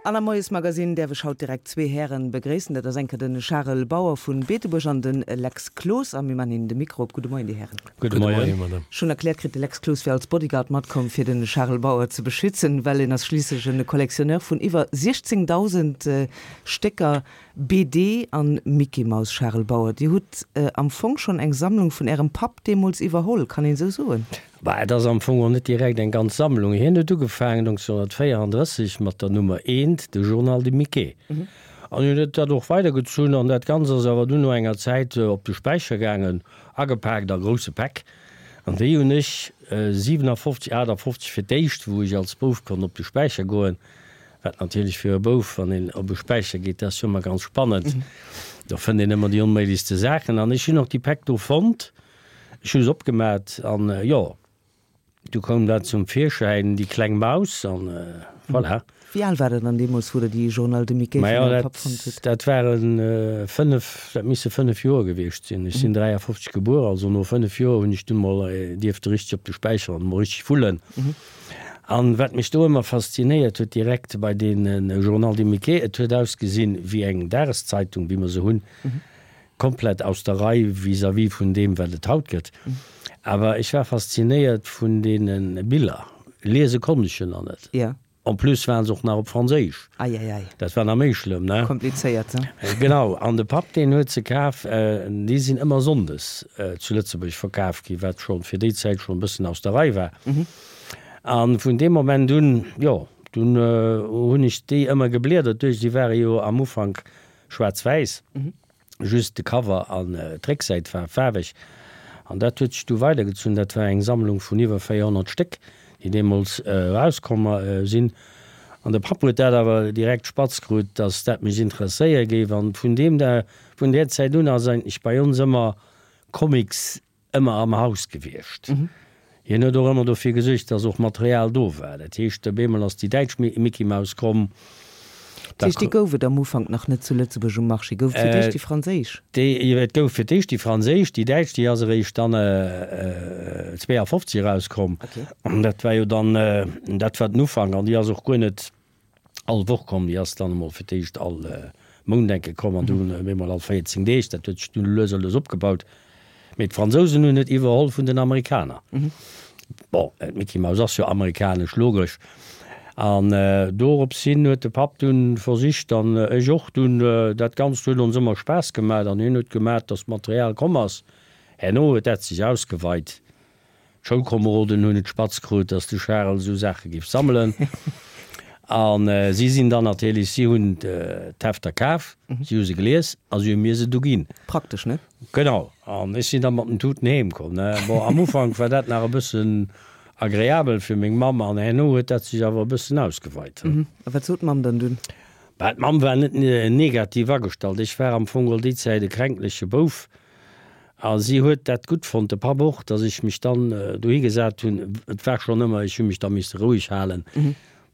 An am Moiesmagazin däerf ech haut direkt zwee Hären begréissen. Dat ass eng Kéier de Charel Bauer vu Beetebuerg an de Lex Cloos. A mir maachen hinnen de Mikro op. Gudde Moien, Dir Hären. Gudde Moien, Madame. Ech hunn erkläert kritt, de Lex Cloos wier als Bodyguard matkomm, fir de Charel Bauer ze beschützen, well en ass schliisslech e Collectionneur vun iwwer 16.000 Stécker BD an Mickey Mouse. Charel Bauer, Dir hutt am Fong schonn eng Sammlung vun Ärem Papp deemools iwwerholl, kann een esou soen? Bah, et ass am Fong och net direkt eng ganz Sammlung. Hien huet ugefaangen 1934 mat der Nummer eent, de Journal de Mickey. An hien huet dat och weidergezunn an dat Ganzt ass awer dunn no enger Zäit op de Späicher gaangen, agepaakt a grousse Päck. An déi hunn ech 57, 58 fir d'éischt, wou ech als Bouf konnt op de Späicher goen, wat natierlech fir e Bouf, wann een op e Späicher geet, dat ass jo ëmmer ganz spannend, do fënnt een ëmmer déi onméiglechste Saachen. An ech hunn och déi Päck do fonnt. Ech hu se opgemat an jo, du koum dat zum Virschäin, déi kleng Maus an voilà. Wéi al war der dann deemools, wou der déi Journal de Mickey vun ärem Papp fonnt hutt? Dat ware 5, dat misse 5 Joer gewiescht sinn. Ech sinn 53 gebuer, also no 5 Joer hunn ech dunn mol dierfte richteg op de Späicher an mol richteg wullen. An wat mech do ëmmer faszinéiert huet direkt bei deene Journal de Mickey, et huet ausgesinn wéi eng Dageszeitung, wéi mer se hunn. Komplett aus der Rei vis-à-vis vun deem, wat et haut gëtt. Awer ech war faszinéiert vun deene Biller. Liese konnt ech jo nach net. Ja. En plus waren se och nach op Franséisch. Eieiei. Dat war nach méi schlëmm, ne? Komplizéiert, ne? Genau. An de Papp, deen huet se kaf. Déi sinn ëmmer sonndes zu Lëtzebuerg verkaf ginn, wat scho fir déi Zäit schonn e bëssen aus der Rei war. A vun deem Moment un, jo, dunn hunn ech déi ëmmer gebliedert duerch. Déi ware jo am Ufank Schwaarz-wäiss, just de Cover an d'Récksäit war faarweg. An dat huet sech du weidergezunn. Dat war eng Sammlung vun iwwer 400 Stéck, déi deemools erauskomm sinn. An de Papp huet dat awer direkt spatz krut, dass dat mech interesséiere géif. An vun deem Da, vun där Zäit un ass eigentlech bei ons ëmmer Comics ëmmer am Haus gewiescht. Hien huet och ëmmer dofir gesuergt, dass och Material do war. Dat heescht, op eemol ass déi däitsch Mickey-Maus komm. Dat heescht, déi gouf et am Ufank nach net zu Lëtzebuerg um Marché? Gouf et fir d'éischt déi franséisch? Déi, et gouf fir d'éischt déi franséisch, déi däitsch, déi ass eréischt dann 52 erauskomm. Dat war jo dann, dat war den Ufank an déi ass och guer net all Woch komm, déi ass dann emol fir d'éischt all Mount enke komm an dunn op eemol all 14 Deeg. Dat huet sech dunn lues a lues opgebaut. Mee d'Fransousen hunn et iwwerholl vun den Amerikaner. Bon, d'Mickey Mouse ass jo amerikanesch, logesch. An dorops hin huet de Papp dunn versicht, an ech och dunn, dat Ganzt huet ons ëmmer Spaass gemat an hien huet gemat, datt d'Material komm ass. Herno huet dat sech ausgeweit. D'Schoulkomeroden hunn et spatz krut, dass de Charel esou Saache géif sammelen. A si sinn dann natierlech, si hunn d'Hefter kaf, si hu se gelies a si hu mir se du ginn. Praktesch, ne? Genau. An ech sinn da mat den Tuten heem komm, ne. Bon, am Ufank war dat nach e bëssen agreabel fir meng Mamm an herno huet dat sech awer e bëssen ausgeweit. A wat sot d'Mamm dann dunn? Bah, d'Mamm war net negativ agestallt. Ech war am Fong all déi Zäit e kränkleche Bouf. A si huet dat gutt fonnt, de Papp och, datt ech mech dann dohi gesat hunn. Et war schonn ëmmer, ech hu mech da misse roueg halen.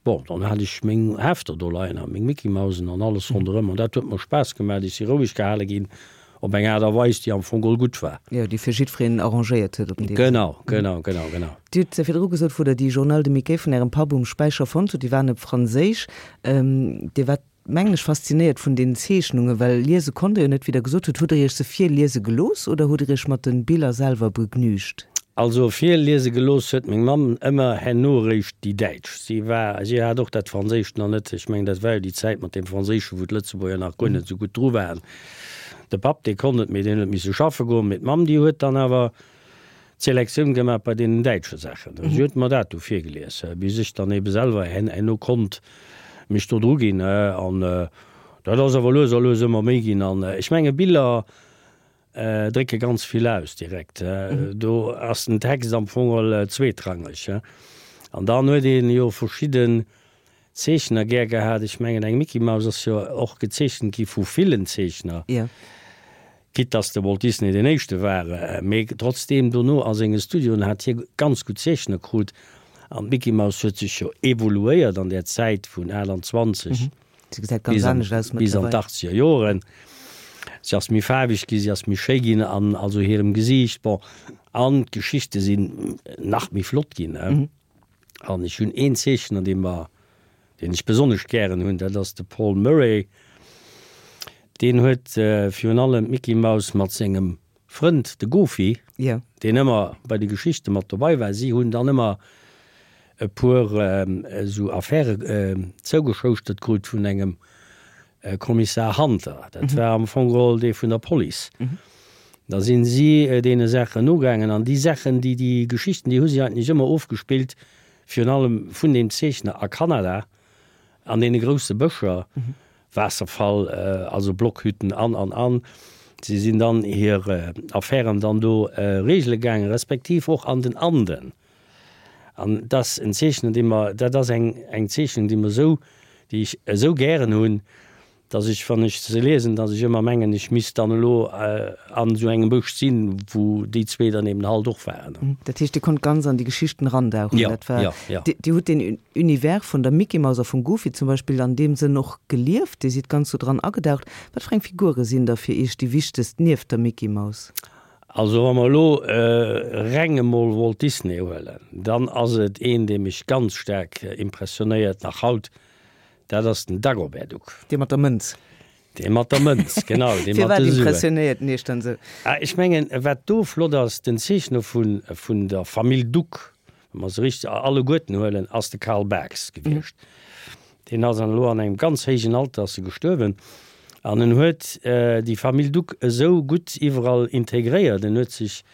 Bon, dann hat ech meng Hefter do leien a meng Mickey-Mausen an alles ronderëm an dat huet mer Spaass gemaach. Ech si roueg gehale ginn op eng Aart a Weis, déi am Fong geholl gutt war. Jo, déi fir jiddwereen arrangéiert huet op den Deel. Genau, genau, genau, genau. Dir hutt virdru gesot, wou Der déi Journal de Mickey vun Ärem Papp um Späicher fonnt hutt, déi waren op Franséisch. Dir waart mengen ech, faszinéiert vun den Zeechnungen, well liese konnt der jo net, wéi der gesot hutt. Hutt der iech se virliese gelooss oder hutt der iech mat den Biller selwer begnügt? Also virliese gelooss huet meng Mamm ëmmer herno eréischt déi däitsch. Si war, si hat och dat Franséischt nach net, ech mengen dat war jo déi Zäit mat deem Franséischen, wou d'Lëtzebuerger nach guer net esou gutt dru waren. De Papp, dee konnt et, mee deen huet misse schaffe goen, mee d'Mamm, déi huet dann awer d'Selektioun gemaach bei deenen däitsche Saachen. Si huet mer dat du virgelies, bis ech dann ebe selwer herno konnt mech do dru ginn. An dat ass awer lues a lues ëmmer méi ginn. An ech menge Biller drécke ganz vill aus direkt. Do ass den Text am Fong geholl zweetrangeg. An dann huet ee jo verschidden Zeechner gär gehat. Ech mengen eng Mickey Mouse ass jo och gezeechent gi vu villen Zeechner. Quitte dass de Walt Disney deen éischte war, mee trotzdeem dono a senge Studioen hat hie ganz gutt Zeechner krut. An d'Mickey Mouse huet sech jo evoluéiert an där Zäit vun 28 bis an bis an d'Achtzeger Joren. Si ass méi faarweg ginn, si ass méi schéi ginn an also hirem Gesiicht, bon, an d'Geschichte sinn nach méi flott ginn. An ech hunn een Zeechner, dee mer. deen ech besonnesch gären hunn, dat ass de Paul Murray. Deen huet virun allem d'Mickey Mouse mat sengem Frënd, de Goofy, deen ëmmer bei de Geschichte mat dobei war. Si hunn dann ëmmer e puer esou Affäre zougeschouschtert krut vun engem Kommissar Hunter. Dat war am Fong geholl dee vun der Police. Da sinn si deene Saachen nogaangen an déi Saachen, déi déi Geschichten, déi hu si eigentlech ëmmer ofgespillt, virun allem vun deem Zeechner a Kanada, an deene grousse Bëscher. Waasserfall, also Blockhütten an, an, an. Si sinn dann hir Affären dann do regele gaangen, respektiv och an den Anden. An dat ass en Zeechnen, dee mer, dat ass eng, eng Zeechnung, déi mer esou, déi ech esou gären hunn, dass ech, wann ech se liesen, dass ech ëmmer mengen, ech misst dann elo an esou engem Bësch sinn, wou déi zwee dann eben halt och waren. Dat heescht, Dir konnt ganz an déi Geschichten erandauchen. Jo, jo, jo. Dir hutt deen Univers vun der Mickey Mouse a vum Goofy zum Beispill an deem Sënn och gelieft? Dir sidd ganz do dran agedaucht. Wat fir eng Figure sinn da fir Iech déi wichtegst nieft der Mickey Mouse? Also wa mer elo reng emol Walt Disney huelen, dann ass et een, dee mech ganz staark impressionéiert, nach haut, dat ass den Dagobert Duck. Dee mat der Mënz. Dee mat der Mënz, genau, dee mat de Suen. Firwat impressionéiert en Iech dann esou? Ah, ech mengen, wat do flott ass, den Zeechner vun, vun der Famill Duck, wa mer se richteg alleguerten huelen, ass de Carl Barks gewiescht. Deen ass an elo an engem ganz héijen Alter ass e gestuerwen. An en huet déi Famill Duck esou gutt iwwerall integréiert. En huet sech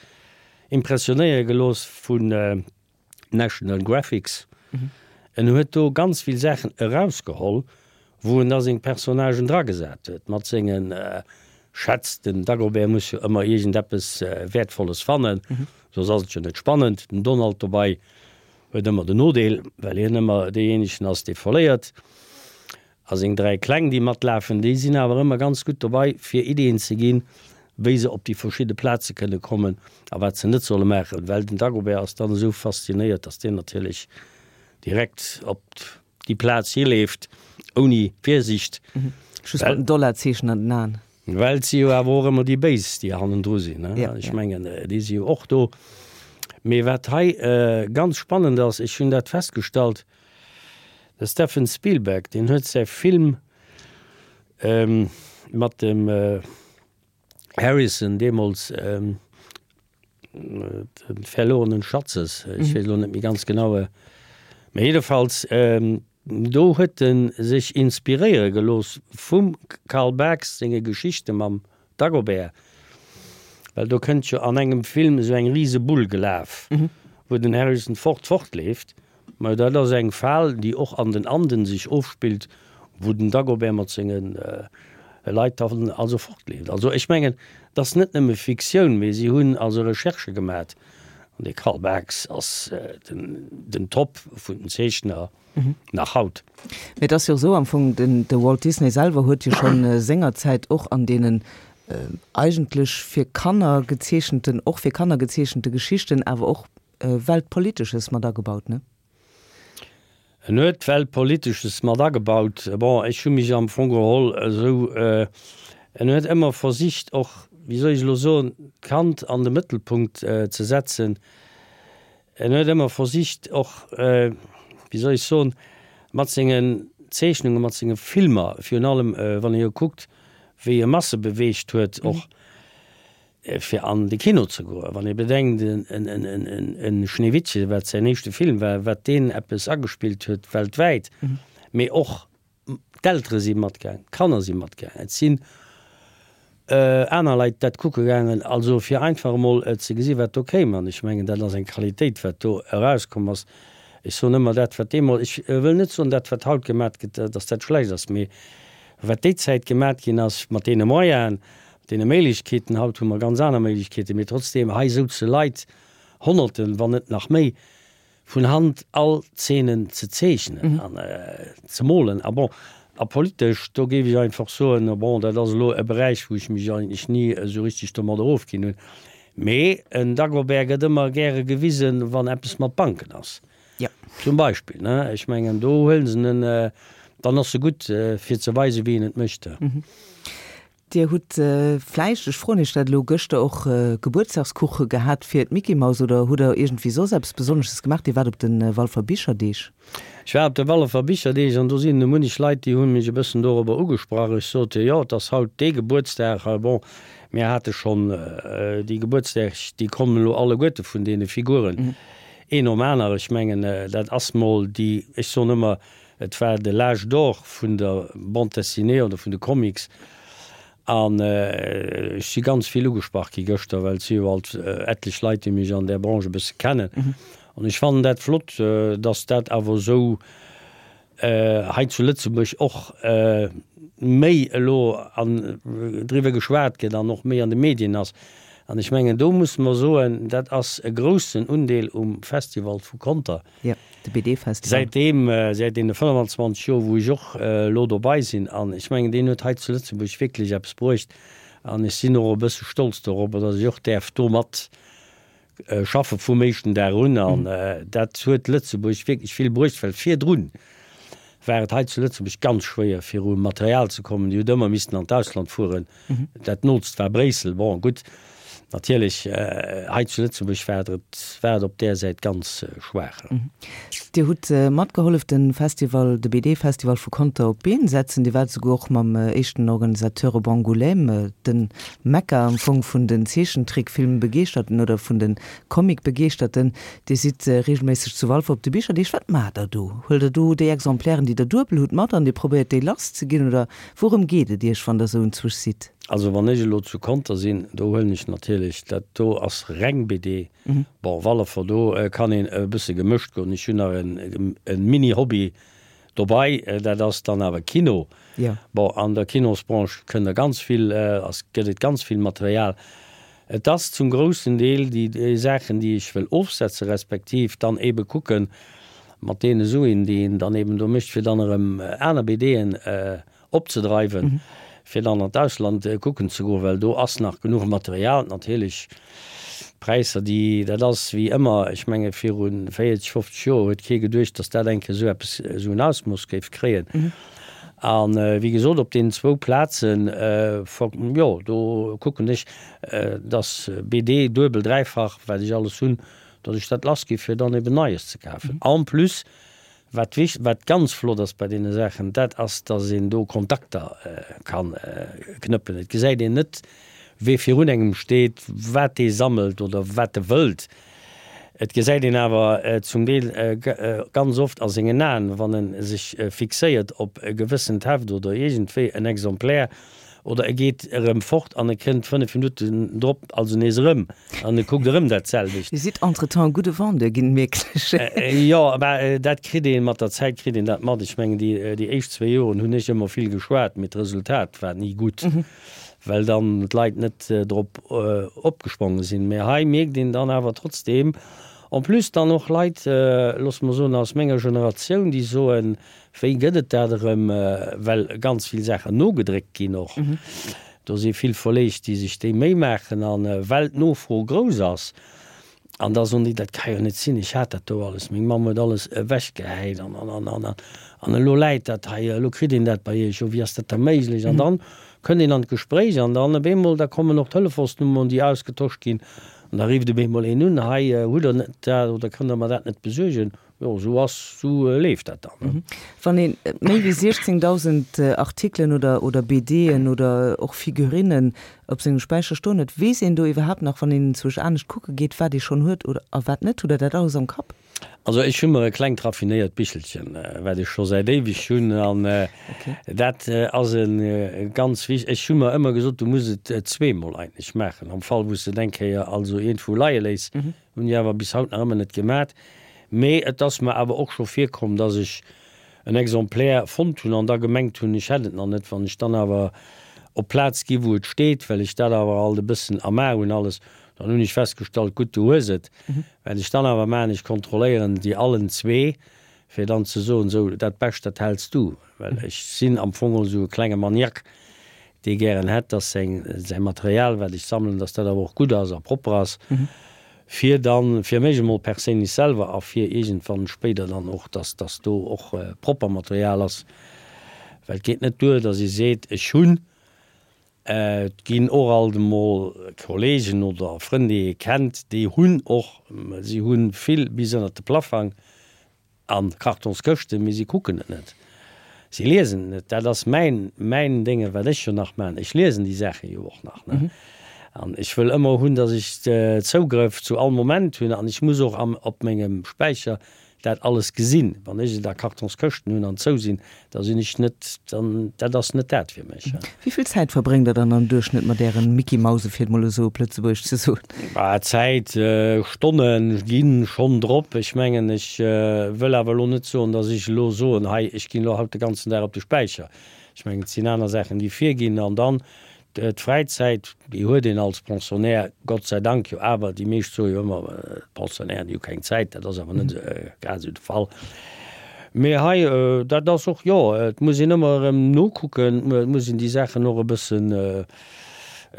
impressionéiere gelooss vun National Graphics. En huet do ganz vill Saachen erausgeholl, wou en da seng Personnagen dragesat huet, mat senge Schätz. Den Dagobert muss jo ëmmer iergendeppes Wäertvolles fannen, soss ass et jo net spannend. Den Donald dobei huet ëmmer den Nodeel, well hien ëmmer deejéinegen ass, dee verléiert. A seng 3 Kleng, déi matlafen, déi sinn awer ëmmer ganz gutt dobei, fir Ideeën ze ginn, wéi se op déi verschidde Plaze kënne kommen a wat se net solle maachen. Well den Dagobert ass dann esou faszinéiert, dass deen natierlech direkt op déi Plaz hileeft, ouni Virsicht. Just mat dem Dollarzeechen an den Aen. Well et si jo awer och ëmmer déi Béis, déi hannendru sinn. Ech mengen, déi si jo och do. Mee wat hei ganz spannend ass, ech hunn dat festgestallt, de Stephen Spielberg, deen huet säi Film mat dem Harrison deemools, Den verlorenen Schatzes, ech weess elo net méi ganz genau, mä jiddefalls do huet e sech inspiréiere gelooss vum Carl Barks senge Geschichte mam Dagobert, well do kënnt jo an engem Film esou eng rise Bull gelaf, wou den Harrison Ford fortleeft. Mä dat ass eng Fal, déi och an den Anden sech ofspillt, wou den Dagobert mat senge Leit dann also fortleeft. Also ech mengen, et ass net nëmme Fiktioun, mee si hunn also Recherchë gemat. An de Carl Barks ass den Top vun den Zeechner nach haut. Mee et ass jo esou am Fong, den de Walt Disney selwer huet jo schonn sengerzäit och an deenen eigentlech fir Kanner gezeechenten, och fir Kanner gezeechente Geschichten awer och Weltpolitesches mat agebaut, ne? En huet Weltpolitesches mat agebaut. Bon, ech hu mech am Fong geholl esou, en huet ëmmer versicht och, wéi soll ech elo soen, d'Kand an de Mëttelpunkt ze setzen. En huet ëmmer versicht och, wéi soll ech soen, mat sengen Zeechnungen, mat senge Filmer, virun allem wann ee jo kuckt, wéi e Masse beweegt huet och, fir an de Kino ze goen. Wann ee bedenkt, en Schneewittche, wat säin éischte Film war, wat deen eppes agespillt huet weltwäit, mee och d'Eltere si matgaangen, d'Kanner si matgaangen, et sinn aner Leit dat kucke gaangen, also fir einfach emol ze gesi wat do kéim. An ech mengen, dat ass eng Qualitéit, wat do erauskomm ass. Ech soen ëmmer, dat wat deemools, ech wëll net soen, dat wat haut gemat gëtt, datt dat schlecht ass, mee wat déi Zäit gemat ginn ass mat deene Moyenen, Deene Méiglechkeeten, haut hu mer ganz aner Méiglechkeeten, mee trotzdeem, hei souze Leit, Honnerten, wann net nach méi, vun Hand all Zeenen ze zeechnen an ze molen. A bon, a politesch, do géif ech einfach soen, bon, dat ass elo e Beräich, wou ech mech eigentlech ni esou richtig domadder ofginn hunn, mee en Dagobert gëtt ëmmer gäre gewisen, wann eppes mat Banken ass. Zum Beispill, ne? Ech mengen, do huele se en, dann ass se gutt, fir ze weisen, wéi een et mécht. Dir hutt vläicht, ech froen Iech dat elo, gëschter och Gebuertsdagskuche gehat fir d'Mickey-Maus oder hutt Der iergendwéi soss eppes Besonnesches gemaach? Dir waart op de Walfer Bicherdeeg. Ech war op de Walfer Bicherdeeg an do sinn e munnech Leit, déi hu mech e bëssen dorobber ugesprach. Ech sot, jo, et ass haut dee Gebuertsdag. Bon, mir hate schonn déi Gebuertsdeeg, déi kommen elo alleguerte vun deene Figuren een nom aner. Ech mengen, dat ass mol déi, ech soen ëmmer, Et war de l'âge d'or vun der Bande dessinée oder vun de Comics an ech si ganz vill ugesprach gi gëschter, well et si jo alt etlech Leit, déi mech an där Branche e bësse kennen. An ech fannen dat flott, dass dat awer esou hei zu Lëtzebuerg och méi elo an driwwer geschwat gëtt an och méi an de Medien ass. An ech mengen, do musse mer soen, dat ass e groussen Undeel um Festival vu Conter, Jo, de BD-Festival. Säitdeem, säit deene 25 Joer, wou ech och elo dobei sinn, an ech mengen, deen huet hei zu Lëtzebuerg wierklech eppes bruecht, an ech sinn och e bësse stolz dorobber, datt ech och däerf do mat schaffe vum éischten Dag un. An dat huet Lëtzebuerg wierklech vill bruecht, well virdrun war et hei zu Lëtzebuerg ganz schwéier, fir u Material ze kommen. Dir hutt ëmmer missten an d'Ausland fueren. Dat nootst war Bréissel. Bon, gutt, natierlech, hei zu Lëtzebuerg war et, war et op där Säit ganz schwaach. Dir hutt matgehollef, de Festival, de BD-Festival vu Conter op d'Been setzen. Dir waart esouguer och mam éischten Organisateur op Angoulême, de Mekka am Fong vun den Zeechentrickfilmbegeeschterten oder vun de Comicbegeeschterten. Dir sidd reegelméisseg zu Walfer op de Bicherdeeg. Wat maacht der do? Huelt der do déi Exemplairen, déi der duebel hutt, mat an dir probéiert déi lass ze ginn oder wourëm geet et iech, wann der esou enzwusch sidd? Also wann ech elo zu Conter sinn, do huelen ech natierlech, dat do ass reng BD. Bon, Wallefer, do kann een e bësse gemëscht goen. Ech hunn nach e Mini-Hobby dobei, dat ass dann awer Kino. Bon, an der Kinosbranche kënnt der ganz vill, ass, gëtt et ganz vill Material. Et ass zum groussen Deel déi Saachen, déi ech wëll ofsetzen, respektiv dann eebe kucken, mat deene Suen, déi een dann eeben do mécht, fir dann erëm aner BDen opzedreiwen, fir dann an d'Ausland kucken ze goen, well do ass nach genuch Material. Natierlech, d'Präisser, déi, dat ass wéi ëmmer, ech menge viru 40, 50 Joer huet kee geduecht, datt dat eng Kéier esou eppes, esou en Ausmooss géif kréien. A wéi gesot, op deenen zwou Plazen, jo, do kucken ech, dass BD duebel, dräifach, wat ech alles hunn, dass ech dat lass gi fir dann eben Neies ze kafen. En plus, wat wich, wat ganz flott ass bei deene Saachen, dat ass, dass een do Kontakter ka knëppen. Et gesäit een net, wee virun engem steet, wat dee sammelt oder wat e wëllt. Et gesäit een awer zum Deel ganz oft a sengen Aen, wann e sech fixéiert op e gewëssent Heft oder iergendwéi en Exemplaire, oder e geet erëm fort an e kënnt 5 Minutten drop also nees erëm an e kuckt erëm dat selwecht. Dir sidd entretemps e gudde Vendeur ginn, mierken ech. Jo, mä dat kritt ee mat der Zäit kritt een dat mat. Ech mengen, déi éischt zwee Joren hunn ech ëmmer vill geschwat, mee d'Resultat war ni gutt. Well dann d'Leit net drop opgesprongen sinn. Mä hei mierkt een dann awer trotzdeem, en plus dann och Leit, loosse mer soen aus menger Generatioun, déi soen, wéi gëtt et dat erëm, well ganz vill Saachen nogedréckt ginn och. Do si vill Verleeg, déi sech déi Méi maachen a well d'Nofro grouss ass. An da soen déi, dat ka jo net sinn, ech hat dat do alles, meng Mamm huet alles ewechgehäit an, an, an, an, an elo läit dat hei, elo kritt een dat bei iech, jo wéi ass dat da méiglech? An dann kënnt een an d'Gespréich an dann op eemol, da kommen och Telefonsnummeren, déi ausgetosch ginn an da rifft op eemol een un, hei hutt der net dat oder kënnt der mer dat net besuergen? Jo, esou ass, esou leeft dat dann. Wann ee méi wéi 16.000 Artikelen oder oder BDen oder och Figurinnen op sengem Späicher stoen huet, weess een do iwwerhaapt nach, wann een enzwousch anescht kucke geet, wat ee schonn huet oder a wat net? Hutt Der dat alles am Kapp? Also ech hu mer e klengt raffinéiert Bichelchen, wat ech scho säit éiweg hunn an dat ass e ganz wich-, ech hu mer ëmmer gesot, du muss et zweemol eigentlech maachen, am Fall wou s de et eng Kéier also iergendwou leie léiss, Hunn ech awer bis haut nach ëmmer net gemat. Mee et ass mer awer och scho virkomm, dass ech en Exemplaire fonnt hunn an da gemengt hunn, ech hätt et nach net. Wann ech dann awer op d'Plaz gi wou et steet, well ech dat awer alt e bëssen am A hunn alles, dann hunn ech festgestallt, gutt, du hues et. Wat ech dann awer maachen, ech kontrolléieren déi allen zwee, fir dann ze soen, sou, dat Bescht, dat häls du. Well ech sinn am Fong esou e klenge Maniaque, dee gären hätt, dass seng, säi Material, wat ech sammelen, dass dat awer och gutt ass a propper ass, fir dann, fir mech emol perséinlech selwer a fir iergendwann spéider dann och, dass, dass do och propper Material ass. Well et geet net duer, dass ee seet, ech hunn. Et ginn och alt emol Kollegen oder Frënn, déi ee kennt, déi hunn och, si hu vill bis ënnert de Plaffang a Kartonskëschten, mee si kucken et net, si liesen et net. Dat ass mäin, mäin Dénge wat ech jo nach maachen. Ech liesen déi Saache jo och nach, ne. An ech wëll ëmmer hunn, datt ech Zougrëff zu all Moment hunn an ech muss och am, op mengem Späicher dat alles gesinn. Wann ech et a Kartonskëschten hunn an zou sinn, da sinn ech net, dann, dat ass net dat fir mech. Wéi vill Zäit verbréngt Der dann am Duerchschnëtt mat Ären Mickey-Mause, fir et mol esou op Lëtzebuergesch ze soen? Bah, Zäit, Stonne ginn schonn drop. Ech mengen, ech wëll awer elo net soen, datt ech elo soen, hei, ech ginn elo haut de ganzen Dag op de Späicher. Ech mengen, et sinn aner Saachen, déi virginn. An dann D'Fräizäit, déi huet een als Pensionnaire Gott sei Dank jo awer. Déi meescht soe jo ëmmer, d'Pensionnairen, déi hu keng Zäit. Dat ass awer net grad esou de Fall. Mee hei, dat ass och, jo, et muss een ëmmer erëm nokucken, et muss een déi Saachen och e bëssen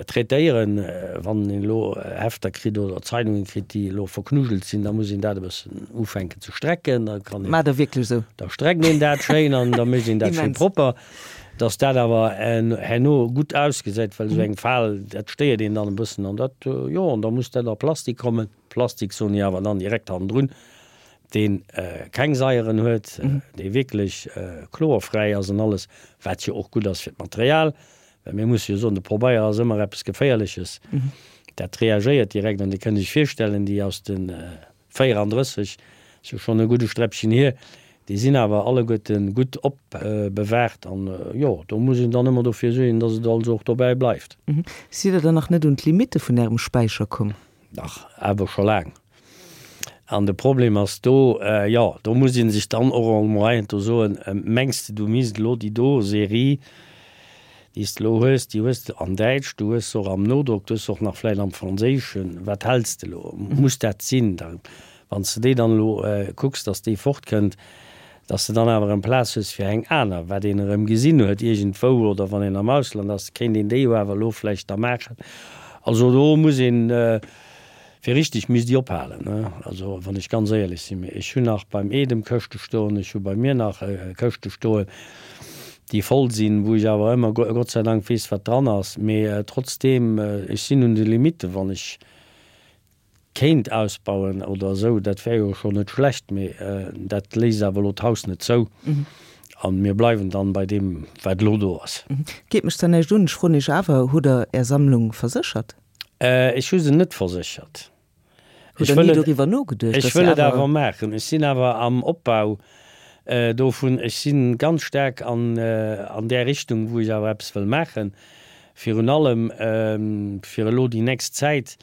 traitéieren. Wann een elo Hefter kritt oder Zeidungen kritt, déi elo verknujelt sinn, da muss een dat e bëssen ufänken ze strecken. Da kann een. Maacht Der wierklech esou? Da streckt een dat schéin an da mécht een dat schéin propper. Dass dat awer herno gutt ausgesäit, well esou eng Fal, dat stéiert een dann e bëssen an dat, jo, an da muss dat a Plastik kommen. Plastik soen ech awer dann direkt hannendrun, dee keng Saieren huet, dee wierklech chlorfräi ass an alles, wat jo och gutt ass fir d'Material, well mir musse jo soen, de Pobeier ass ëmmer eppes Geféierleches, dat reagéiert direkt an Dir kënnt Iech virstellen, déi aus de 34, ass jo schonn e gudde Sträppchen hier, déi sinn awer alleguerte gutt opbewaacht an, jo, do muss een dann ëmmer dofir suergen, dass et also och dobäi bleift. Sidd Der dann nach net un d'Limitte vun Ärem Späicher komm? Dach, awer scho laang. An de Problem ass do, jo, do muss ee sech dann och emol heiansdo soen, Mengs de, du misst elo déi do Serie, déi s de elo hues, déi hues de an Däitsch, du hues se och am Nodrock, du hues se och nach vläicht am Franséischen, wat häls de elo? Muss dat sinn? Da wann s de déi dann elo kucks, datt déi fortkënnt, datt s de dann awer erëm Plaz hues fir eng aner, wat een erëm gesinn huet iergendwou oder wann een am Ausland ass, kéint een déi jo awer elo vläicht da maachen. Also do muss een. Fir richteg misst déi ophalen, ne? Also wann ech ganz éierlech sinn, mee ech hunn nach beim Edem Këschte stoen, ech hu bei mir nach Këschte stoen, déi voll sinn, wou ech awer ëmmer Gott sei Dank weess, wat dran ass. Mee trotzdeem, ech sinn un de Limitten, wann ech kéint ausbauen oder esou, dat wär jo schonn net schlecht, mee dat léisst awer elo d'Haus net zou a mir bleiwen dann bei deem, wat elo do ass. Geet mech zwar näischt un, ech froen Iech awer, Hutt Der Är Sammlung verséchert? Ech hu se net verséchert. Hutt Der ni doriwwer nogeduecht, dass se awer. Ech wëll et awer maachen. Ech sinn awer am Opbau dovun. Ech si ganz staark an där Richtung, wou ech awer eppes wëll maachen. Virun allem fir elo déi nächst Zäit,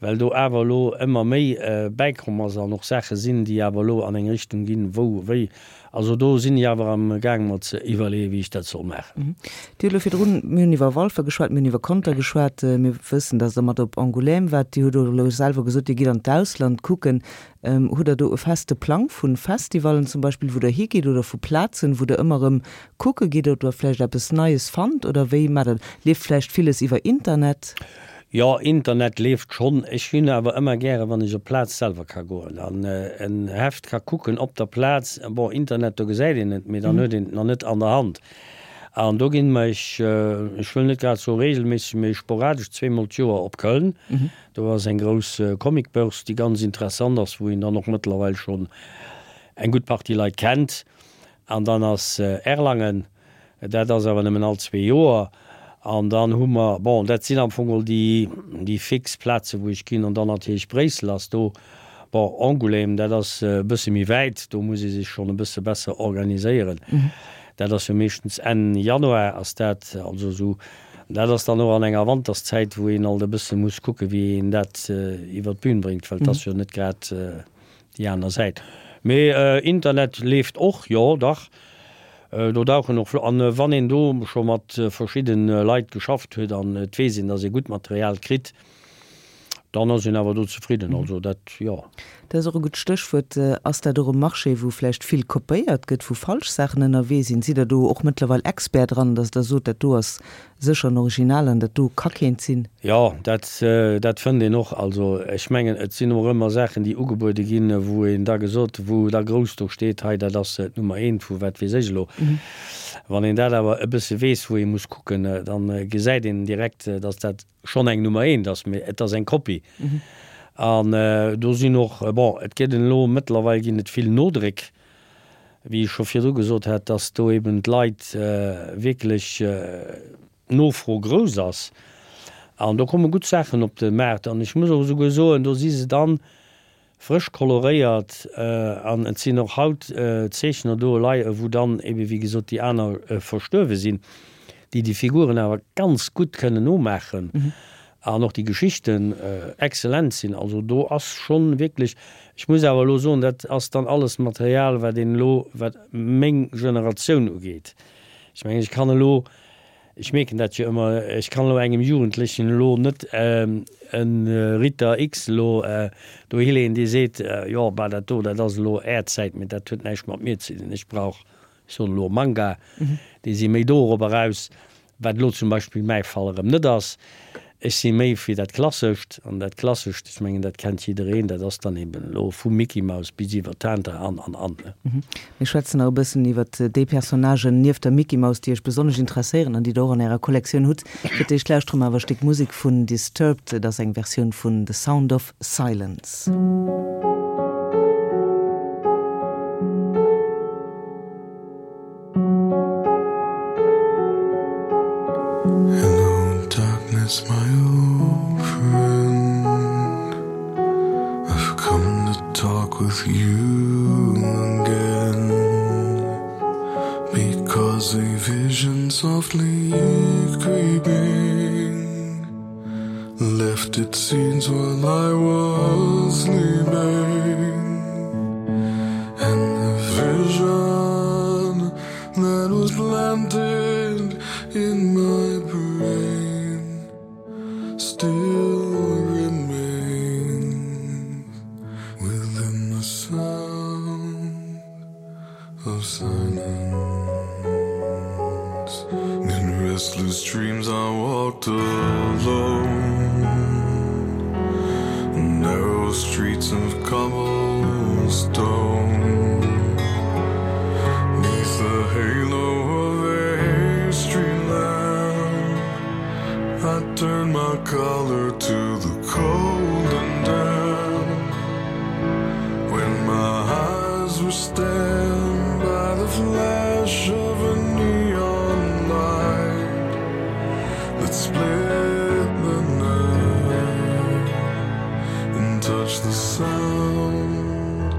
well do awer elo ëmmer méi bäikomm ass an och Saache sinn, déi awer elo an eng Richtung ginn, wou wéi. Also do sinn ech awer am gaang mer ze iwwerleeën, wéi ech dat soll maachen. Dir hutt elo virdrun, mir hunn iwwer Walfer geschwat, mir hunn iwwer Conter geschwat, mir wëssen, datt Der mat op Angoulême waart. Dir hutt och elo selwer gesot, Dir gitt an d'Ausland kucken. Hutt Der do e feste Plang vu Festivallen zum Beispill, wou Der higitt oder vu Plazen, wou Der ëmmer erëm kucke gitt, ob Der vläicht eppes Neies fannt oder wéi maacht Der dat? Leeft vläicht villes iwwer Internet? Jo, Internet leeft schonn. Ech hunn awer ëmmer gären, wann ech op d'Plaz selwer ka goen an en Heft ka kucken op der Plaz. Bon, Internet, do gesäit een et, mee dann huet een et nach net an der Hand. An do ginn ech, ech wëll net grad soe regelméisseg, mee sporadesch zweemol d'Joer op Köln. Do ass eng grouss Comicbörse, déi ganz interessant ass, wou een dann och mëttlerweil schonn eng gutt Partie Leit kennt. An dann ass Erlangen. Dat ass awer nëmmen all zwee Joer. An dann hu mer, bon, dat sinn am Fong geholl déi, déi fix Plazen, wou ech ginn. An dann natierlech Bréissel ass do. Bon, Angoulême, dat ass e bësse méi wäit, do muss ee sech schonn e bësse besser organiséieren. Dat ass jo meeschtens Enn Januar ass dat, also esou. Dat ass dann och an enger Wanterszäit, wou een alt e bësse muss kucken, wéi een dat iwwer d'Bün bréngt, well et ass jo net grad déi aner Säit. Mee Internet leeft och, jo dach. Do dauchen och, an wann een do scho mat verschidde Leit geschafft huet an et weess een, datt ee gutt Material kritt, dann ass een awer do zefridden. Also dat, jo. Dat ass och e gutt Stéchwuert. Ass dat och e Marché, wou vläicht vill kopéiert gëtt, wou falsch Saachen ënnerwee sinn? Sidd Der do och mëttlerweil Expert dran, datt Der sot, dat do ass. Sécher en Original an dat do ka keent sinn. Jo, dat, dat fënnt een och. Also ech mengen, et sinn och ëmmer Saachen, déi ugebuede ginn, wou een da gesot, wou da grouss do steet, hei dat ass d'Nummer eent vu wat weess ech elo. Wann een dat awer e bësse weess, wou ee muss kucken, da gesäit een direkt, datt dat schonn eng Nummer eent ass, mee et ass eng Kopie. An do sinn och, bon, et gëtt elo, mëttlerweil ginn et vill Nodréck, wéi ech scho virdru gesot hat, dass do eben d'Leit wierklech d'Nofro grouss ass an do komme gutt Saachen op de Maart an ech muss och esouguer soen, do si se dann frësch koloréiert an et sinn och haut Zeechner do elei, wou dann eben, wéi gesot, déi aner verstuerwe sinn, déi déi Figuren awer ganz gutt kënnen nomaachen An och déi Geschichten exzellent sinn. Also do ass schonn wierklech, ech muss awer elo soen, dat ass dann alles Material, wat een elo, wat meng Generatioun ugeet. Ech mengen, ech kann elo, ech mierken dat jo ëmmer, ech kann elo engem Jugendlechen elo net e Ritter X elo dohi leeën, dee seet, jo, bah, dat do, dat ass elo Är Zäit, mee dat huet näischt mat mir ze dinn, ech brauch, ech soen elo Manga, déi si méi dorop eraus. Wat elo zum Beispill mäi Fall erëm net ass. Ech si méi fir dat Klassescht, an dat Klassescht, ech mengen, dat kennt jiddereen, dat ass dann eben elo vu Micky Maus bis iwwer Tintin an, an, an, ne. Mir schwätzen nach e bëssen iwwer déi Personnagen nieft der Micky Maus, déi Iech besonnesch interesséieren an déi Der och an Ärer Kollektioun hutt. Fir d'éischt lauschtere mer awer e Stéck Musek vun Disturbed. Et ass eng Versioun vun The Sound of Silence. Hello darkness my old friend I've come to talk with you again Because a vision softly creeping Left its scenes while I was sleeping And the vision that was planted in my brain Still remains within the sound of silence. In restless dreams I walked alone Narrow streets of cobblestone Neath the halo of a street lamp I turned my collar to the cold and damp When my eyes were stabbed by the flash of a neon light That split the night And touched the sound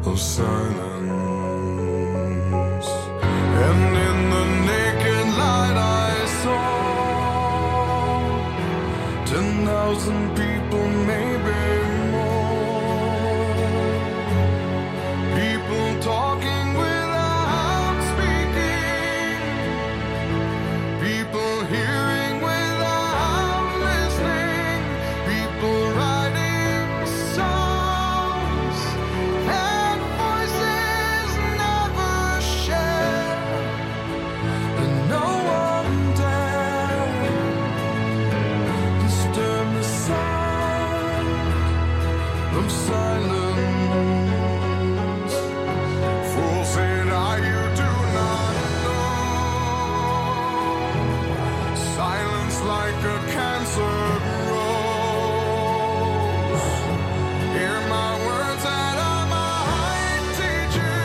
of silence And in the naked light I saw 10,000 people maybe more People talking without speaking People hearing without listening People writing songs And voices never share And no one dare Disturb the sound of silence Fool said I, you do not know Silence like a cancer grows Hear my words that I might teach you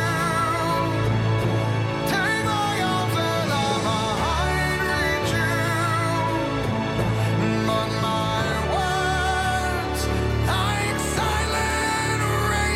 Take my arms and I might reach you But my words like silent rain.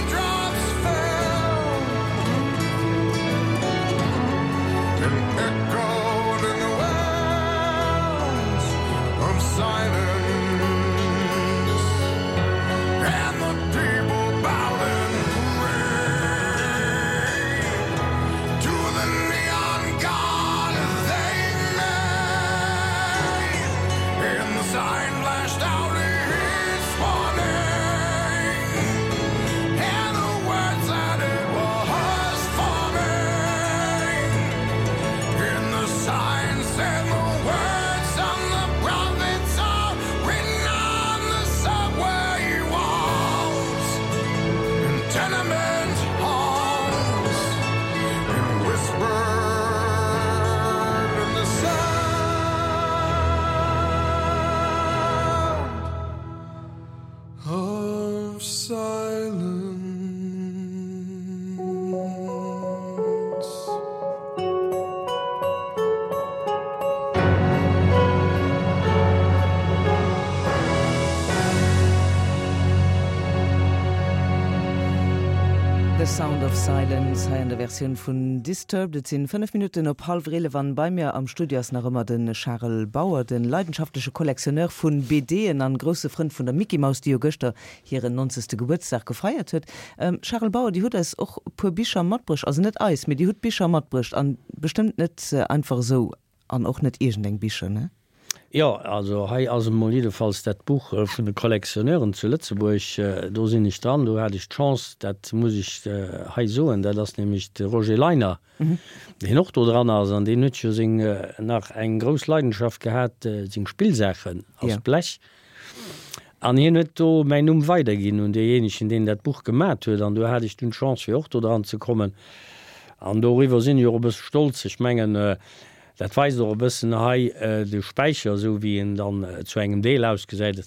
The Sound of Silence hei an der Versioun vun Disturbed. Et sinn 5 Minutten op hallwer 11 an bei mir am Studio ass nach ëmmer de Charel Bauer, de leidenschaftleche Collectionneur vun BDen an grousse Frënd vun der Mickey Maus, déi jo gëschter hiren 90. Gebuertsdag gefeiert huet. Charel Bauer, Dir hutt eis och e puer Bicher matbruecht, also net eis, mee Dir hutt Bicher matbruecht an bestëmmt net einfach esou an och net iergendeng Bicher, ne? Jo, also hei ass emol jiddefalls dat Buch vun de Collectionneuren zu Lëtzebuerg, do sinn ech dran, do hat ech d'Chance, dat muss ech hei soen, dat ass nämlech de Roger Leiner, deen och do dran ass an deen huet jo seng nach eng grouss Leidenschaft gehat, seng Spillsaachen aus Blech. An hien huet do mäin Numm weiderginn un deejéinegen, deen dat Buch gemat huet. An do hat ech dunn d'Chance, fir och do dran ze kommen. An doriwwer sinn ech och e bësse stolz. Ech mengen, dat weist och e bëssen hei de Späicher, esou wéi en dann zu engem Deel ausgesäit.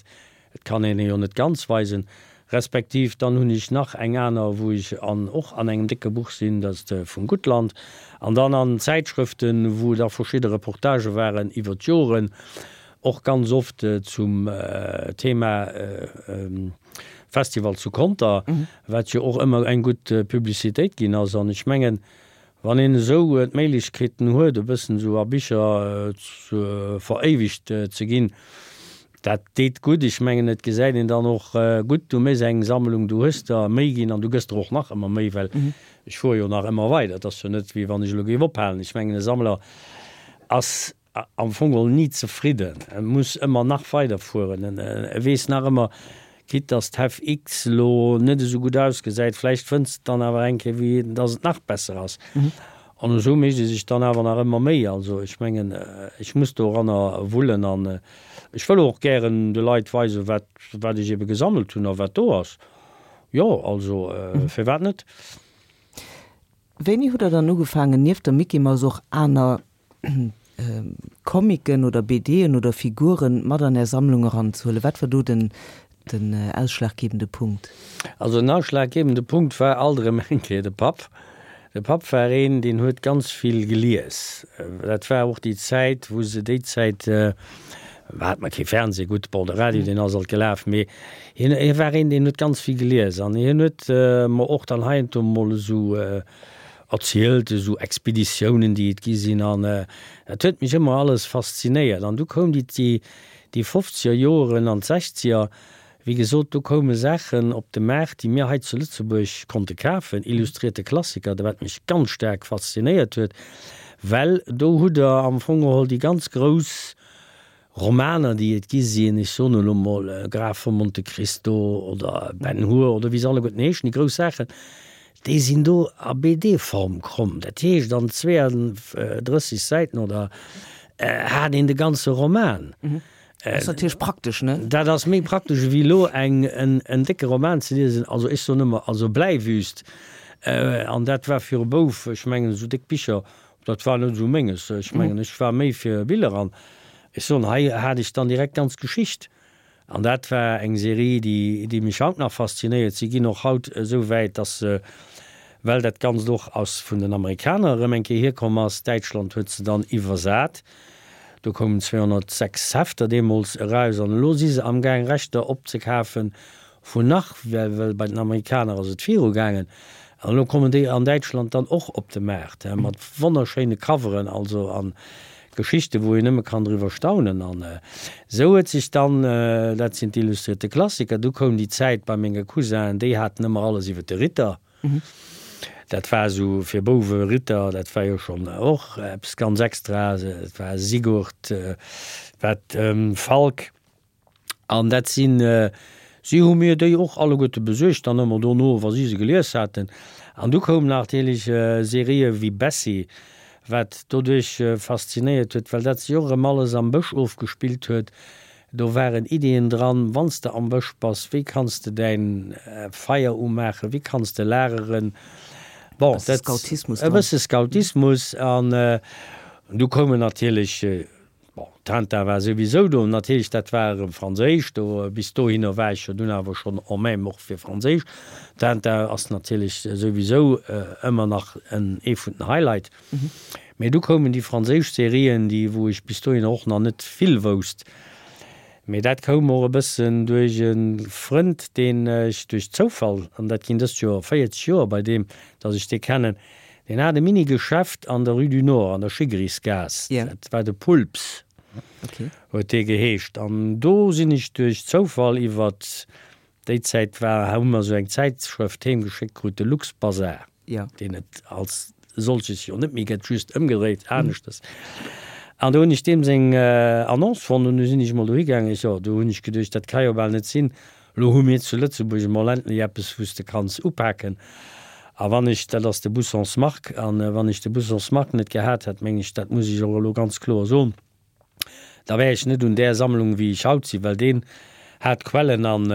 Et kann een e jo net ganz weisen. Respektiv dann hunn ech nach eng aner, wou ech an och an engem décke Buch sinn, dat ass de vum Guttland. An dann an Zäitschrëften, wou da verschidde Reportagë waren iwwer d'Joren. Och ganz oft zum Thema Festival zu Conter, wat jo och ëmmer eng gutt Publicitéit ginn ass. An ech mengen, wann een esou d'Méiglechkeeten huet, e bëssen esou a Bicher veréiwegt ze ginn, dat deet gutt. Ech mengen, et gesäit een dann och gutt, du méchs eng Sammlung, du hues der méi ginn an du gëss der och nach ëmmer méi, well ech fuere jo nach ëmmer weider. Et ass jo net, wéi wann ech elo géif ophalen. Ech mengen, e Sammler ass am Fong geholl ni zefridden, e muss ëmmer nach weider fueren, e weess nach ëmmer, quitte dass d'Hef X elo net esou gutt ausgesäit, vläicht fënns de dann awer eng Kéier wéi dass et nach besser ass. An esou mécht e sech dann awer nach ëmmer Méi. Also ech mengen, ech muss doranner wullen an ech wëll och gären de Leit weisen, wat wat ech ebe gesammelt hunn a wat do ass. Jo, also firwat net? Wéini hutt Der dann ugefaangen, nieft der Mickey Mouse och aner Comicen oder BDen oder Figuren mat an Är Sammlung eranzehuelen? Wat war do den ausschlaggebende Punkt? Also den ausschlaggebende Punkt war alt erëm eng Kéier de Papp. De Papp war een, deen huet ganz vill gelies. Dat war och déi Zäit, wou se, déi Zäit hat mer kee Fernseh, gutt, bon, de Radio, deen ass alt gelaf, mee hien, hie war een, deen huet ganz vill gelies an hien huet mer och dann heiansdo mol esou erzielt, esou Expeditiounen, déi et gi sinn an dat huet mech ëmmer alles faszinéiert. An du koum déi, déi, déi fofzeger Joeren an d'sechzeger, wéi gesot, do koume Saachen op de Maart, déi mir hei zu Lëtzebuerg konnte kafen, illustrierte Klassiker, wat mech ganz staark faszinéiert huet, well do hutt Der am Fong geholl déi ganz grouss Romaner, déi et gi sinn, ech soen elo mol Graf von Monte Cristo oder Ben Hur oder wéi se alleguerten heeschen, déi grouss Saachen, déi sinn do a BD-Form komm. Dat heescht, an 32 Säiten oder hat een de ganze Roman. Dat ass natierlech praktesch, ne? Dat ass méi praktesch ewéi elo eng, en décke Roman ze liesen. Also ech soen ëmmer, also Bläiwüst, an dat war fir e Bouf, ech mengen esou déck Bicher, Dat war net esou menges. Ech mengen, ech war méi fir Biller an ech soen, hei hat ech dann direkt d'ganz Geschicht. An dat war eng Serie, déi, déi mech haut nach faszinéiert. Si ginn och haut esou wäit, dass se, well dat Ganzt och aus vun den Amerikaner erëm eng Kéier hierkomm ass, Däitschland huet se dann iwwersat, do koumen 206 Hefter deemools eraus an elo si se amgaang Rechter opzekafen Vun nach, well well bei den Amerikaner ass et viru gaangen, an elo kommen déi an Däitschland dann och op de Maart, he, mat wonnerschéine Coveren, also an Geschichten, wou een nëmme kann driwwer staunen. An esou huet sech dann, dat sinn d'illustrierte Klassiker, du koum déi Zäit bei menge Cousinen, déi haten ëmmer alles iwwer de Ritter, dat war esou fir Bouwe Ritter, dat war jo schonn och eppes ganz Extraes, et war Sigurd, wat Falk. An dat sinn, si hu mir déi och alleguerte besuergt dann ëmmer dono, wa si se gelies haten. An du koumen natierlech Serië wéi Bessie, wat doduerch faszinéiert huet, well dat sech och erëm alles am Bësch ofgespillt huet. Do waren Iddien dran, wann s de am Bësch bass, wéi kanns de däin Feier umaachen, wéi kanns de lageren. Bon, dat, e bësse Scoutismus. An du koumen natierlech Bon, Tintin war souwisou do, natierlech, dat war erëm franséisch, do, bis dohinner war ech jo dunn awer schonn en même och fir franséisch. Tintin ass natierlech souwisou ëmmer nach en, ee vun den Highlight. Mee du koumen déi franséisch Serien, déi, wou ech bis dohinner och nach net vill wousst. Mee dat koum och e bëssen duerch e Frënd, deen ech duerch Zoufall, an dat ginn dëst Joer 40 Joer bei deem, datt ech dee kennen, deen hat e Mini-Geschäft an der Rue du Nord, an der Schiggerisgaass, dat war de Pulps, huet dee geheescht. An do sinn ech duerch Zoufall iwwert déi Zäit war, hu mer esou eng Zäitschrëft heem geschéckt krut, de Luxbazar. deen et als solches jo net méi gëtt, just ëmgedréit, aneschters. An do hunn ech deem seng Annonce fonnt an du sinn ech emol dohi gaangen. Ech, jo, do hunn ech geduecht, dat ka jo bal net sinn, elo hu mir zu Lëtzebuerg emol endlech eppes, wou s de kanns upaken. A wann ech, dat ass de Bussons Marc, an wann ech de Bussons Marc net gehat hätt, meng ech, dat muss ech och elo ganz kloer soen, da wär ech net un där Sammlung wéi ech haut sinn, well deen hat Quellen an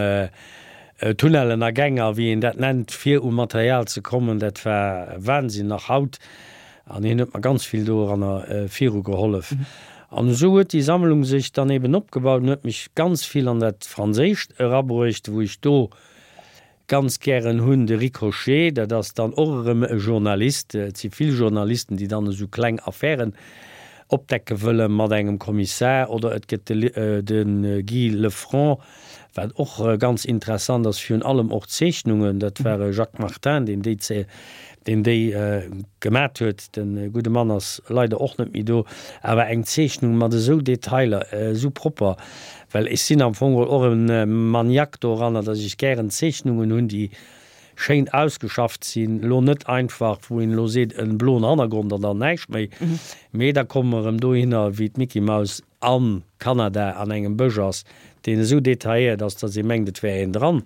Tunnellen a Gäng a wéi een dat nennt, fir u Material ze kommen, dat war Wahnsinn, nach haut. An hien huet mer ganz vill doranner viru gehollef. An esou huet déi Sammlung sech dann eben opgebaut an huet mech ganz vill an dat Franséischt erabruecht, wou ech do Ganz gären hunn de Ricochet, dat ass dann och erëm e Journalist, et si vill Journalisten, déi dann esou kleng Affären opdecke wëlle mat engem Kommissar, oder et gëtt de Guy Lefranc, wat och ganz interessant ass, virun allem och d'Zeechnungen, dat war e Jacques Martin, deen déi deen déi gemat huet, de gudde Mann ass leider och net méi do, awer eng Zeechnung mat esou Detailer, esou propper, Well ech sinn am Fong geholl och e Maniaque doranner, dass ech gären Zeechnungen hunn, déi schéin ausgeschafft sinn, elo net einfach, wou een elo seet, e bloen Hannergrond an dann näischt méi, mee da komme mer erëm dohinner, wéi d'Mickey Mouse a Kanada an engem Bësch ass, deen esou detailléiert ass, dass ee mengt, et wär een dran.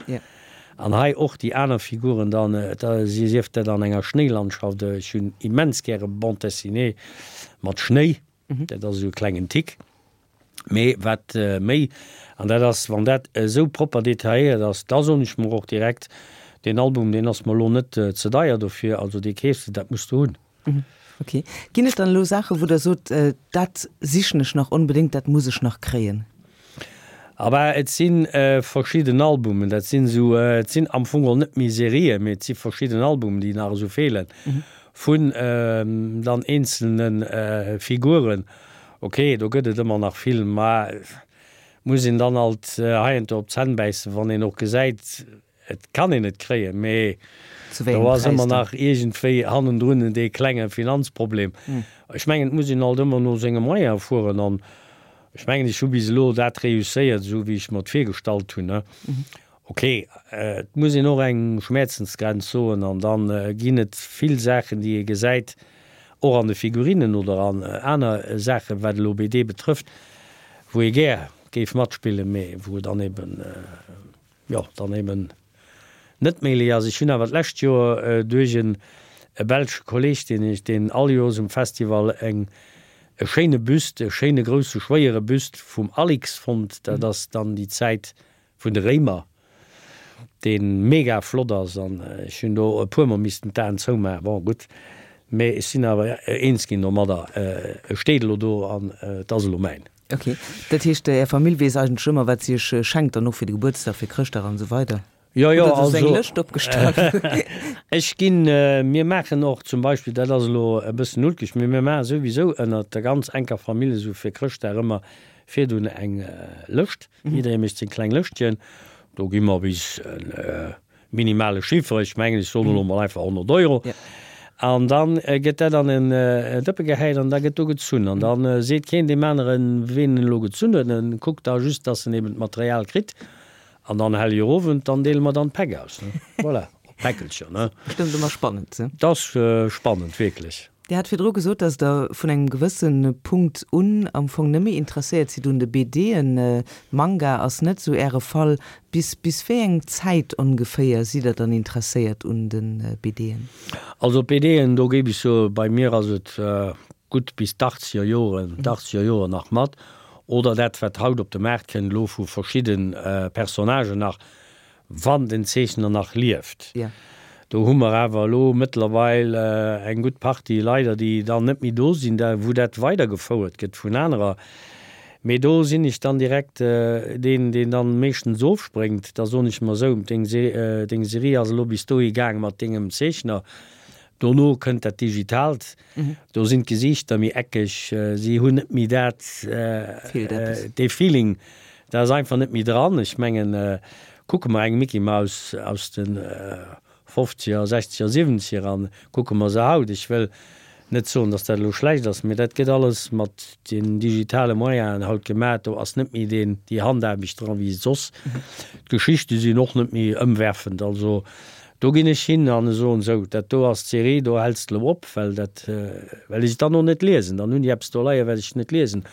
An hei och déi aner Figuren dann, da sief dat an enger Schnéilandschaft, ech hunn immens gäre Bande dessinée mat Schnéi, Dat ass esou e klengen Tick. Mee wat méi, an dat ass, wann dat esou propper detailléiert ass, da soen ech mer och direkt, deen Album, deen ass mer elo net ze deier dofir, also dee keefs de, dat muss de hunn. Ok. Ginn et dann elo Saachen, wou Der sot, dat sichen ech nach onbedéngt, dat muss ech nach kréien? Abah, et si verschidden Albumen, dat sinn esou, et sinn am Fong geholl net méi Serien, mee et si verschidden Albumen, déi nach esou feelen, vun dann eenzelne Figuren. Ok, do gëtt et ëmmer nach vill, ma muss een dann alt heiansdo op d'Zänn bäissen, wann een och gesäit, Et kann een et kréien, mee do ass ëmmer nach iergendwéi hannendrun dee klenge Finanzproblem. Ech mengen, et muss een alt ëmmer no senge Moyene fueren an ech mengen, ech hu bis elo dat reusséiert, esou wéi ech mer et virgestallt hunn. Ok, et muss een och eng Schmäerzensgrenz soen an da ginn et vill Saachen, déi ee gesäit, och an de Figurinen oder an aner Saachen, wat elo BD betrëfft, wou ee gär géif matspillen, mee wou et dann eben, jo, dann eben net méiglech ass. Ech hunn awer d'lescht Joer duerch en e belsche Kolleg, deen ech, deen all Joers um Festival eng, e schéine Büst, e schéine grousse schwéiere Büst vum Alix fonnt, dat ass dann déi Zäit vun de Réimer, dee mega flott ass an ech hunn do e puermol missten d'Aen zoumaachen. Bon, gutt, mee ech sinn awer eens ginn domadder, e steet elo do an et ass elo mäin. Ok, dat heescht Är Famill weess eigentlech ëmmer wat si Iech schenkt dann och fir de Gebuertsdag, fir Chrëschtdag an esou weider? Jo, jo, Oder hutt Der also eng Lëscht opgestallt? ech ginn, mir maachen och zum Beispill, dat ass elo e bëssen ulkeg, mee mir maache souwisou ënnert der ganz enker Famill esou fir Chrëschtdag ëmmer virdun eng Lëscht, jidderee mécht seng kleng Lëschtchen, do gi mer bis en Minimale Chiffre, ech mengen, ech soen elo mol einfach 100 Euro. An da gëtt dat an en Dëppe gehäit an da gëtt do gezunn. An da seet keen deem aneren, ween en elo gezunn huet. En kuckt da just, dass en eben d'Material kritt. An dann Hellegerowend, dann deele mer dann d'Päck aus, ne. Voilà, d'Päckelcher, ne. Bestëmmt ëmmer spannend, ne? Dat ass spannend, wierklech. Dir hat virdru gesot, dass Der vun engem gewësse Punkt un am Fong nëmme interesséiert sidd un de BDen. Manga ass net esou Äre Fall. Bis bis wéi eng Zäit ongeféier sidd Der dann interesséiert un de BDen? Also d'BDen, do géif ech soen, bei mir ass et gutt bis d'Achtzeger Joren, d'Achtzeger Joren nach mat. Oder dat wat haut op de Maart kënnt elo vu verschidde Personnagen nach, Wann den Zeechner nach lieft. Do hu mer awer elo mëttlerweil eng gutt Partie leider, déi dann net méi do sinn, da wou dat weidergefouert gëtt vun anerer. Mee do sinn ech dann direkt deen, deen dann meeschtens ofspréngt. Da soen ech mer esou, deng deng Serie ass elo bis dohi gaang mat dengem Zeechner, dono kënnt dat Digitaalt. Do sinn d'Gesiichter méi eckeg, si hunn net méi dat, dee Feeling. Dat ass einfach net méi dran. Ech mengen, kucke mer eng Mickey Mouse aus de Fofzeger, Sechzeger, Siwenzeger an, kucke mer se haut. Ech wëll net soen, datt dat elo schlecht ass, mee dat gëtt alles mat den digitale Moyenen haut gemaach. Do ass net méi deen, déi Handaarbecht dran, wéi soss. D'Geschichte sinn och net méi ëmwerfend. Also do ginn ech hin an soen, sou, dat do ass d'Serie, do häls de elo op, well dat well ech et dann och net liesen. Dann hunn déi eppes do leien, wat ech net liesen.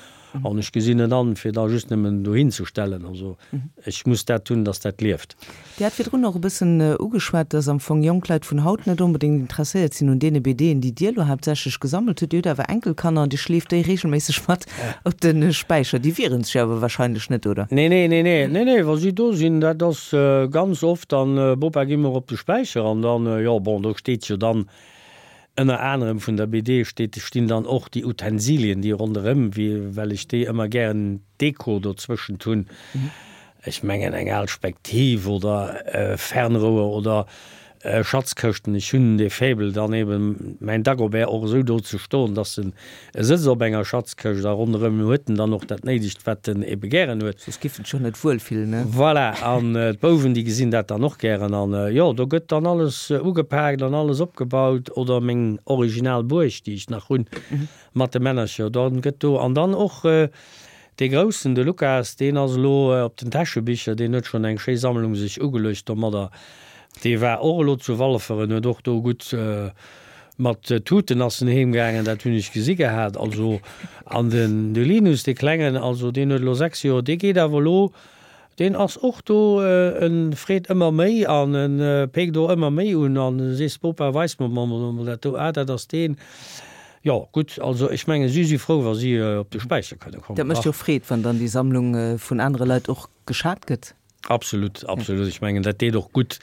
An ech gesinn net an, fir da just nëmmen dohin ze stellen. Also ech muss dat hunn, dass dat lieft. Dir hat virdrun och e bëssen ugeschwat, dass am Fong jonk Leit vun haut net onbedéngt interesséiert sinn un deene BDen, déi Dir elo haaptsächlech gesammelt hutt. Dir hutt awer Enkelkanner an Dir schleeft déi reegelméisseg mat op de Späicher. Déi wieren sech awer wahrscheinlech net, oder? Nee, nee, nee, nee, nee, nee, wa si do sinn, dat ass ganz oft dann, Bopa, gi mer op de Späicher an dann, jo, bon, do steet jo dann Ënner anerem vun der BD steet stinn dann och déi Utensilien, déi ronderëm, wéi well ech déi ëmmer gären Deko dozwëschent hunn. Ech mengen eng al Spektiv oder e Fernrouer oder Schatzkëschten. Ech hunn dee Faible dann eben mäin Dagobert och esou do ze stoen, dass en E sëtzt op enger Schatzkëscht a ronderëm huet en dann och dat Néidegt, wat en ebe gären huet. Soss giff en sech jo net wuel fillen, ne? Voilà, an d'Bouwen, déi gesinn dat dann och gären. An jo, do gëtt dann alles ugepaakt an alles opgebaut. Oder meng original Buerg, déi ech nach hunn, mat de Männercher, da gëtt do. An dann och dee Groussen, de Lukas, deen ass elo op den Täschebicher, deen huet schonn eng schéi Sammlung sech ugeluecht domadder. Dee war och elo zu Walfer en huet och do gutt Mat Tuten ass en heem gaangen, dat hunn ech gesi gehat. Also, an den de Linus, dee Klengen, also deen huet elo 6 Joer, dee geet awer elo, deen ass och do, en freet ëmmer méi an en péckt och ëmmer méi un an sees, Bopa, weis mer mol dat do, ah dat ass deen. Jo, gutt, also ech mengen, si si frou, wa si op de Späicher kënne kommen. Dat mécht jo Freed, wann dann déi Sammlung vun anere Leit och geschat gëtt. Absolut, absolut. Ech mengen, dat deet och gutt.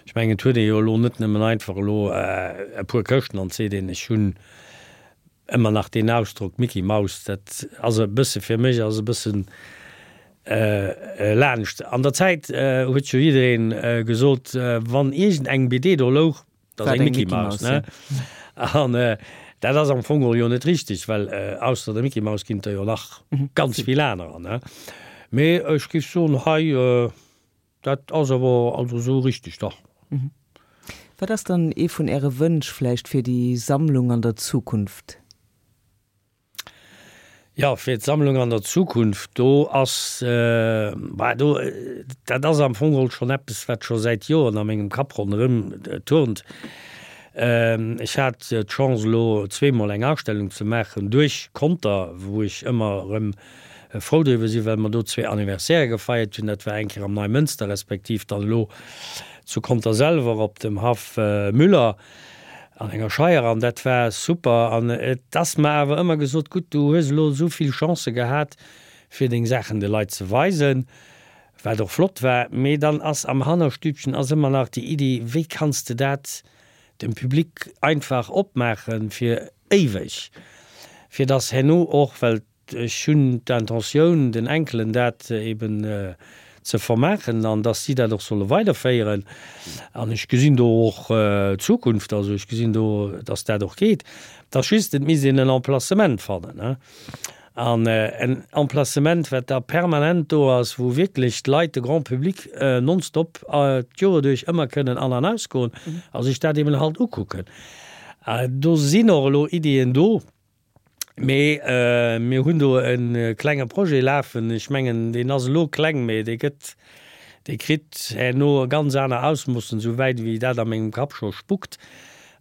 Ech mengen, et huet ee jo elo net nëmmen einfach elo e puer Këschten an et seet een, ech hunn ëmmer nach deen Ausdrock Micky Maus, dat ass e bësse fir mech ass e bëssen laanscht. An der Zäit huet jo jiddereen gesot, wann iergend eng BD do louch, Dat ass eng Mickey Mouse, ne? An dat ass am Fong och jo net richteg, well ausser der Mickey Mouse ginn et der jo nach ganz vill anerer, ne? Mee ech géif soen, hei, dat ass awer also esou richteg, dach. Wat ass dann ee vun Äre Wënsch vläicht fir déi Sammlung an der Zukunft? Jo, fir d'Sammlung an der Zukunft, do ass, bah, do, dat ass am Fong geholl schonn eppes, wat scho säit Joren a mengem Kapp ronderëm turnt. Ech hat d'Chance elo zweemol eng Ausstellung ze maachen duerch Conter, wou ech ëmmer erëm frou driwwer sinn, well mer do zwee Anniversairë gefeiert hunn. Dat war eng Kéier am Neimënster respektiv dann elo zu Conter selwer op dem Haff Müller. An enger Scheier an dat war super an et ass mer awer ëmmer gesot, gutt du hues elo esou vill Chancë gehat fir deng Saachen de Leit ze weisen, wat och flott war, mee dann ass am Hannerstübchen ass ëmmer nach déi Iddi, wéi kanns de dat dem Public einfach opmaache fir éiweg, fir dass herno och, well Ech hunn d'Intentioun, den Enkelen dat eben ze vermaachen an dass si dat och solle weiderféieren. An ech gesinn do och d'Zukunft, also ech gesinn do, dass dat och geet. Et ass just, et misst een en Emplacement fannen, an en Emplacement, wat da permanent do ass, wou wierklech d'Leit, de Grand public nonstop d'Joer duerch ëmmer kënnen an an ausgoen a sech dat eben halt ukucken. Do sinn och elo Iddien do. Mee mir hunn do e klenge Projet lafen. Ech mengen, deen ass elo kleng, mee dee gëtt, dee kritt herno ganz aner Ausmoossen, esou wäit wéi dat a mengem Kapp scho spukt.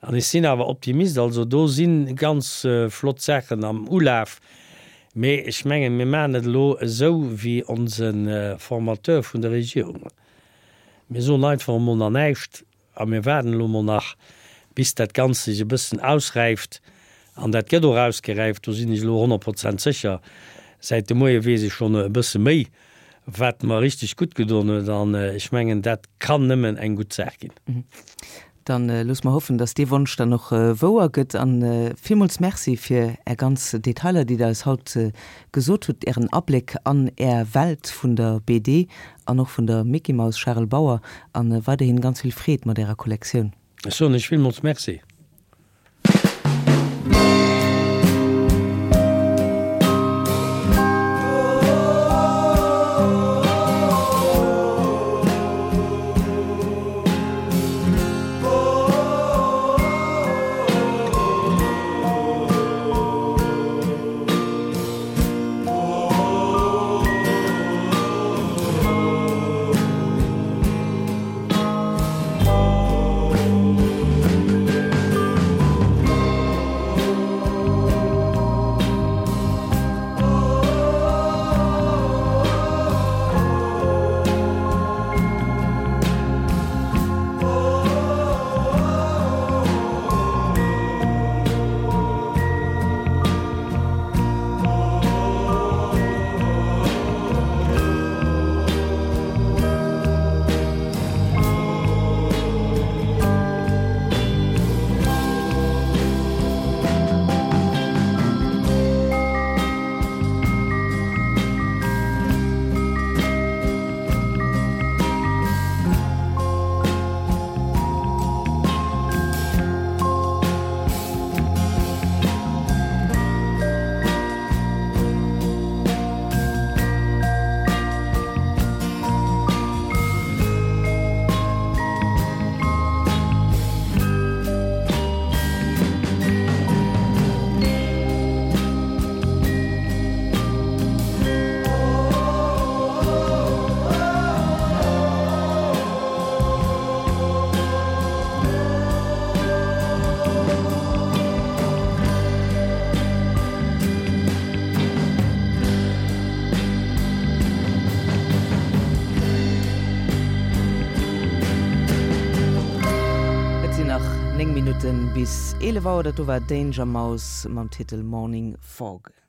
An ech sinn awer Optimist. Also do si ganz flott Saachen am Ulaf. Mee ech mengen, mir maachen et elo esou wéi onse Formateur vun der Regierung. Mir soen einfach emol nach näischt. A mir waarden elo mol nach, bis dat Ganzt sech e bëssen ausräift. An dat gëtt och ausgeräift, do sinn ech elo 100 Prozent sécher. Säit de Moie weess ech schonn e bësse méi, wat mer richteg gutt gedoen huet. An ech mengen, dat kann nëmmen eng gutt Saach ginn. Dann loosse mer hoffen, dass dee Wonsch dann och wouer gëtt. A villmools Merci fir Är ganz Detailer, déi Der eis haut gesot hutt, Ären Abléck an Är Welt vun der BD an och vun der Micky Maus Charel Bauer an weiderhin ganz vill Freed mat ärer Kollektioun. Ech soen iech villmols Merci. 9 Minutten bis 11 Auer. Dat do war Danger Mouse mam Titel Morning Fog.